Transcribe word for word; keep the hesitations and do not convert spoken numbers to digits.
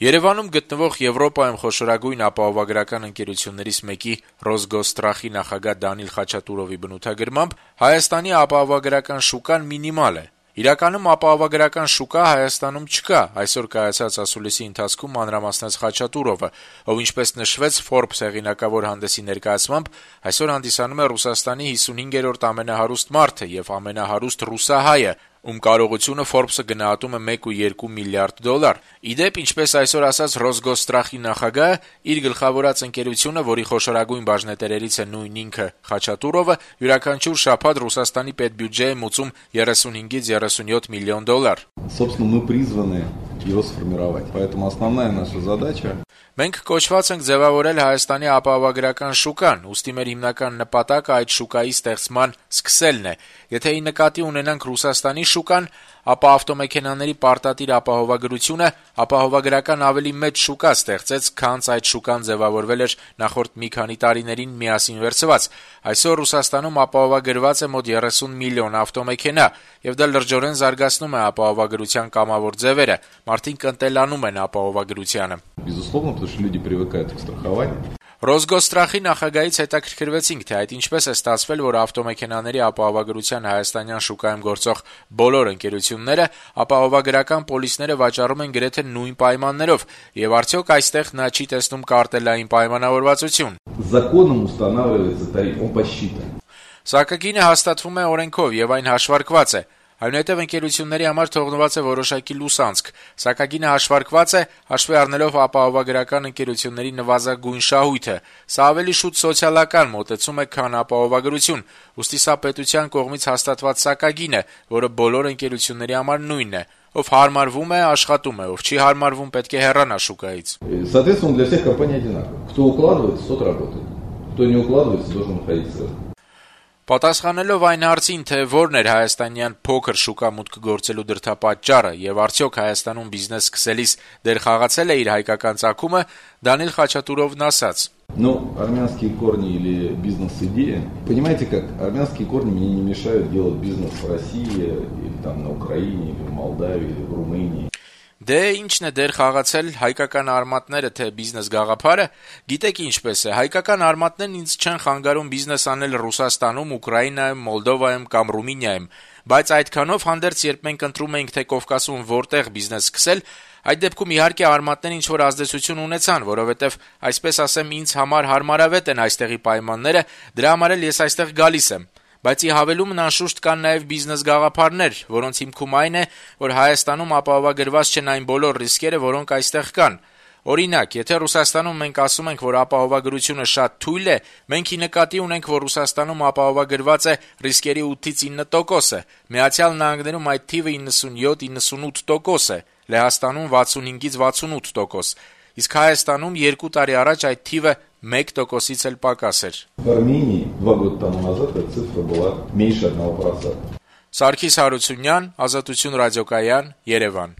Երևանում գտնվող Եվրոպայում խոշորագույն ապահովագրական ընկերություններից մեկի Ռոսգոստրախի նախագահ Դանիլ Խաչատուրովի բնութագրմամբ Հայաստանի ապահովագրական շուկան մինիմալ է։ Իրականում ապահովագրական շուկա Հայաստանում չկա, այսօր կայացած ասուլիսի ընթացքում մանրամասնեց Խաչատուրովը, ով ինչպես նշվեց Forbes հեղինակավոր հանդեսի ներկայացմամբ, այսօր հանդիսանում է Ռուսաստանի հիսունհինգերորդ ամենահարուստ մարդը եւ ամենահարուստ ռուսահայը, ում կարողությունը Forbes-ը գնահատում է մեկ կόμμα երկու միլիարդ դոլար։ Իդեպ, ինչպես այսօր ասաց Ռոսգոստրախի նախագահը, իր գլխավորած ընկերությունը, որի խոշորագույն բաժնետերերից է նույն ինքը Խաչատուրովը, յուրաքանչյուր շաբաթ Ռուսաստանի պետբյուջե է մուծում երեսունհինգից երեսունյոթ միլիոն դոլար։ Собственно, мы призваны его сформировать. Поэтому основная наша задача. Մենք կոչված ենք ձևավորել Հայաստանի ապահովագրական շուկան, ուստի մեր հիմնական նպատակը այդ շուկայի ստեղծման սկսելն է։ Եթե ի նկատի ունենանք Ռուսաստանի շուկան, ապա ավտոմեքենաների պարտադիր ապահովագրությունը ապահովագրական ավելի մեծ շուկա ստեղծեց, քան այդ շուկան ձևավորվել էր նախորդ մի քանի տարիներին միասին վերցված։ Այսօր Ռուսաստանում ապահովագրված է մոտ երեսուն միլիոն ավտոմեքենա, եւ դա լրջորեն զարգացնում է ապահովագրության կամավոր ձևերը։ Մարդիկ ընտելանում են ապահովագրությանը։ Безусловно, потому что люди привыкают к страхованию. Ռոսգոստրախի նախագահից հետաքրքրվեցինք, թե այդ ինչպես է ստացվել, որ ավտոմեքենաների ապահովագրության հայաստանյան շուկայում գործող բոլոր ընկերությունները ապահովագրական պոլիսները վաճառում են գրեթե նույն պայմաններով, եւ արդյոք այստեղ նա չի տեսնում կարտելային պայմանավորվածություն։ Законом устанавливается тариф, он посчитан. Սակագինը հաստատվում է օրենքով եւ այն հաշվարկված է։ Այնուհետև ընկերությունների համար թողնված է որոշակի լուսանցք, սակագինը հաշվարկված է հաշվի առնելով ապահովագրական ընկերությունների նվազագույն շահույթը։ Սա ավելի շուտ սոցիալական մոտեցում է, քան ապահովագրություն, ուստի սա պետության կողմից հաստատված սակագին է, որը բոլոր ընկերությունների համար նույնն է։ Ով հարմարվում է, աշխատում է, ով չի հարմարվում, պետք է հեռանա շուկայից։ Соответственно, для всех компаний одинаково. Кто укладывается, тот работает. Кто не укладывается, должен находиться. Պատասխանելով այն հարցին, թե որն էր հայաստանյան փոքր շուկա մուտք գործելու դրդապատճառը եւ արդյոք Հայաստանում բիզնես սկսելիս դեր խաղացել է իր հայկական ծագումը, Դանիլ Խաչատուրովն ասաց. Ну, армянские корни или бизнес-идея. Понимаете как, армянские корни мне не мешают делать бизнес в России, или там на Украине, или в Молдавии, или в Румынии. Դե ինչն է դեր խաղացել հայկական արմատները թե բիզնես գաղափարը, գիտեք ինչպես է, հայկական արմատներն ինձ չեն խանգարում բիզնես անել Ռուսաստանում, Ուկրաինայում, Մոլդովայում կամ Ռումինիայում, բայց այդքանով հանդերձ երբ մենք ընտրում էինք թե Կովկասում որտեղ բիզնես սկսել, այդ դեպքում իհարկե արմատներն ինչ-որ ազդեցություն ունեցան, որովհետև, այսպես ասեմ, ինձ համար հարմարավետ են այստեղի պայմանները, դրա համար էլ ես այստեղ գալիս եմ։ Բայց ի հավելումն անշուշտ կան նաև բիզնես գաղափարներ, որոնց հիմքում այն է, որ Հայաստանում ապահովագրված չեն այն բոլոր ռիսկերը, որոնք այստեղ կան։ Օրինակ, եթե Ռուսաստանում մենք ասում ենք, որ ապահովագրությունը շատ թույլ է, մենք ի նկատի ունենք, որ Ռուսաստանում ապահովագրված է ռիսկերի ութից ինը տոկոսը, Միացյալ Նահանգներում այդ թիվը իննսունյոթ իննսունութ տոկոս է, Լեհաստանում վաթսունհինգից վաթսունութ տոկոս, իսկ Հայաստանում երկու տարի առաջ այդ թիվը մեկ տոկոսից էլ պակաս էր։ В Армении два года тому назад эта цифра была меньше одного процента. Սարգիս Հարությունյան, Ազատություն ռադիոկայան, Երևան։